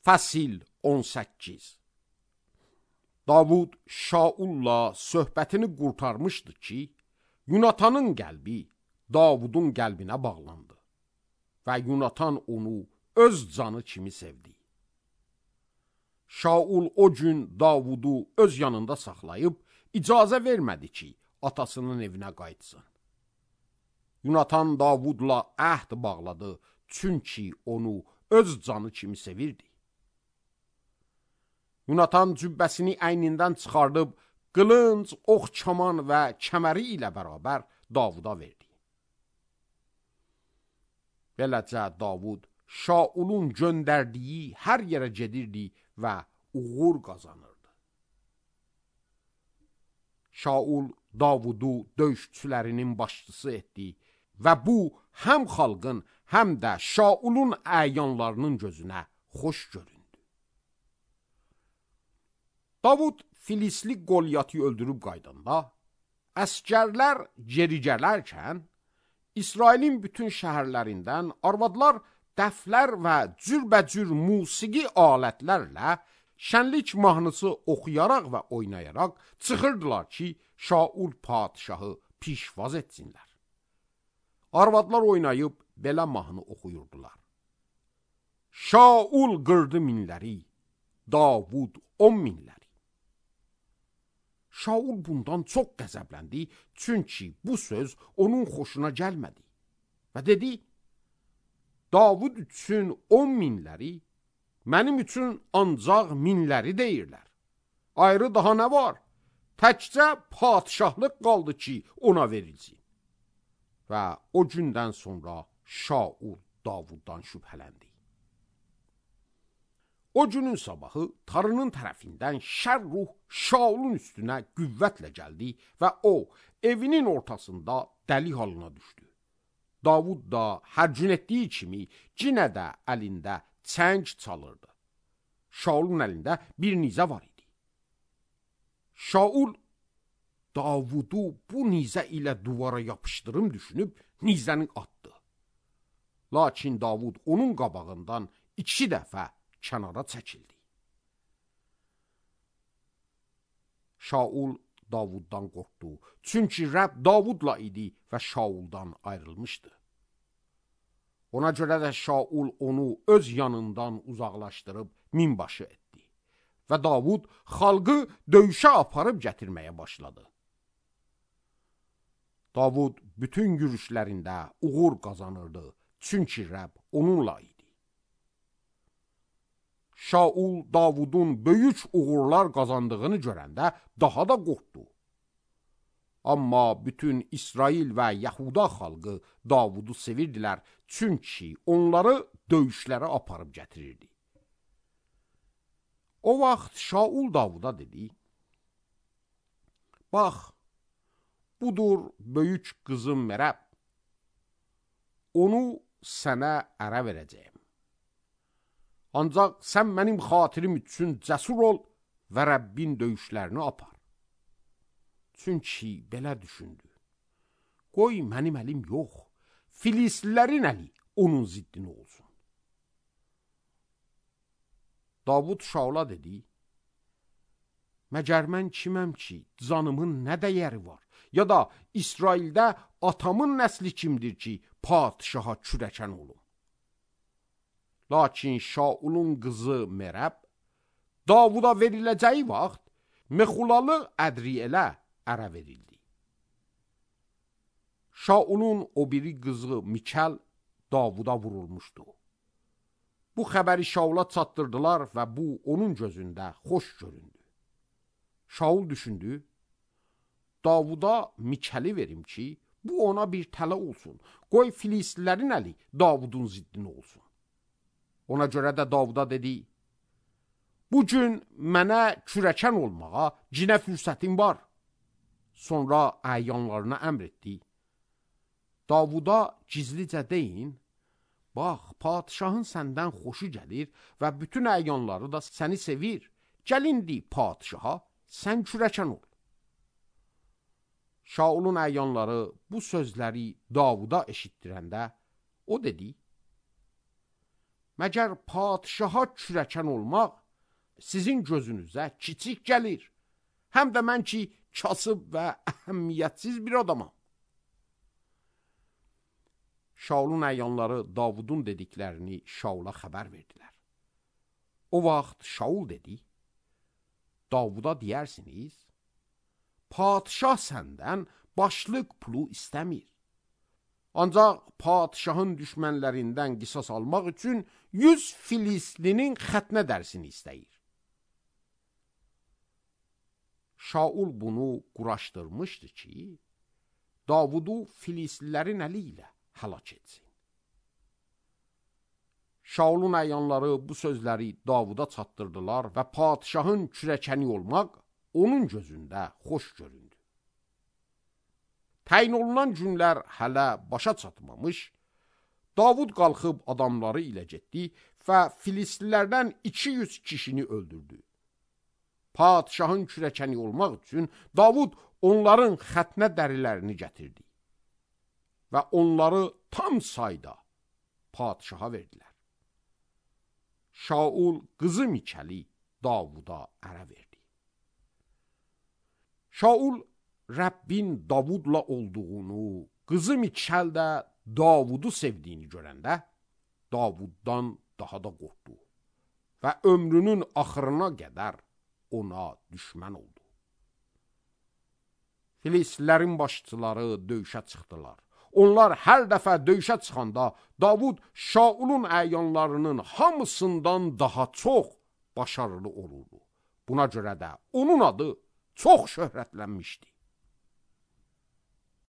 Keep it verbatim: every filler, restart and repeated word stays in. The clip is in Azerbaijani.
Fəsil on səkkiz. Davud Şaulla söhbətini qurtarmışdı ki, Yunatanın qəlbi Davudun qəlbinə bağlandı və Yunatan onu öz canı kimi sevdi. Şaul o gün Davudu öz yanında saxlayıb icazə vermədi ki, atasının evinə qayıtsın. Yunatan Davudla əhd bağladı, çünki onu öz canı kimi sevirdi. Yunatan cübbəsini əynindən çıxardıb, qılınc, ox, kaman və kəməri ilə bərabər Davuda verdi. Beləcə Davud Şaulun göndərdiyi hər yerə gedirdi və uğur qazanırdı. Şaul Davudu döyüşçülərinin başçısı etdi və bu həm xalqın, həm də Şaulun əyanlarının gözünə xoş göründü. Davud Filistli Qolyatı öldürüb qaydanda, əskərlər geri gələrkən, İsrailin bütün şəhərlərindən arvadlar dəflər və cürbəcür musiqi alətlərlə şənlik mahnısı oxuyaraq və oynayaraq çıxırdılar ki, Şaul padişahı pişvaz etsinlər. Arvadlar oynayıb belə mahnı oxuyurdular. Şaul qırdı minləri, Davud on minləri. Şaul bundan çox qəzəbləndi, çünki bu söz onun xoşuna gəlmədi. Və dedi, Davud üçün on minləri, mənim üçün ancaq minləri deyirlər. Ayrı daha nə var? Təkcə padişahlıq qaldı ki, ona verilsin. Və o gündən sonra Şaul Davuddan şübhələndi. O günün sabahı Tanrının tərəfindən şər ruh Şaulun üstünə qüvvətlə gəldi və o, evinin ortasında dəli halına düşdü. Davud da hər gün etdiyi kimi yenə də əlində çəng çalırdı. Şaulun əlində bir nizə var idi. Şaul, Davudu bu nizə ilə duvara yapışdırım düşünüb nizəni atdı. Lakin Davud onun qabağından iki dəfə kənara çəkildi. Şaul Davuddan qorxdu, çünki Rəbb Davudla idi və Şauldan ayrılmışdı. Ona görə də Şaul onu öz yanından uzaqlaşdırıb minbaşı etdi və Davud xalqı döyüşə aparıb gətirməyə başladı. Davud bütün yürüşlərində uğur qazanırdı, çünki Rəbb onunla idi. Şaul Davudun böyük uğurlar qazandığını görəndə daha da qorxdu. Amma bütün İsrail və Yahuda xalqı Davudu sevirdilər, çünki onları döyüşlərə aparıb gətirirdi. O vaxt Şaul Davuda dedi, bax, budur böyük qızım Merab, onu sənə ərə verəcəyim. Ancaq sən mənim xatirim üçün cəsur ol və Rəbbin döyüşlərini apar. Çünki belə düşündü. Qoy mənim əlim yox, Filistlilərin əli onun ziddini olsun. Davud Şaula dedi, məgər mən kiməm ki, canımın nə dəyəri var? Ya da İsraildə atamın nəsli kimdir ki, padişaha kürəkən olum? Lakin Şaulun qızı Merab, Davuda veriləcəyi vaxt Mexulalı Ədriyelə ərə verildi. Şaulun o biri qızı Mikal Davuda vurulmuşdu. Bu xəbəri Şaula çatdırdılar və bu onun gözündə xoş göründü. Şaul düşündü, Davuda Mikali verim ki, bu ona bir tələ olsun. Qoy Filistlilərin əli Davudun ziddini olsun. Ona görə də Davuda dedi, bu gün mənə kürəkən olmağa cinə fürsətim var. Sonra əyanlarına əmr etdi. Davuda gizlicə deyin, bax, padişahın səndən xoşu gəlir və bütün əyanları da səni sevir. Gəlindi padişaha, sən kürəkən ol. Şaulun əyanları bu sözləri Davuda eşitdirəndə, o dedi, məgər padişaha kürəkən olmaq sizin gözünüzə kiçik gəlir? Həm də mən ki, kasıb və əhəmiyyətsiz bir adamam. Şaulun əyanları Davudun dediklərini Şaula xəbər verdilər. O vaxt Şaul dedi, Davuda deyirsiniz, padişah səndən başlıq pulu istəmir. Ancaq padişahın düşmənlərindən qisas almaq üçün yüz Filistlinin xətnə dərsini istəyir. Şaul bunu quraşdırmışdı ki, Davudu Filistlilərin əli ilə həlak etsin. Şaulun əyanları bu sözləri Davuda çatdırdılar və padişahın kürəkəni olmaq onun gözündə xoş göründü. Təyin olunan günlər hələ başa çatmamış, Davud qalxıb adamları ilə getdi və Filistlilərdən iki yüz kişini öldürdü. Padişahın kürəkəni olmaq üçün Davud onların xətnə dərilərini gətirdi və onları tam sayda padişaha verdilər. Şaul qızı Mikəli Davuda ərə verdi. Şaul Rəbbin Davudla olduğunu, qızı Mikəl də Davudu sevdiyini görəndə Davuddan daha da qorxdu və ömrünün axırına qədər ona düşmən oldu. Filistlilərin başçıları döyüşə çıxdılar. Onlar hər dəfə döyüşə çıxanda Davud Şaulun əyanlarının hamısından daha çox başarılı olurdu. Buna görə də onun adı çox şöhrətlənmişdi.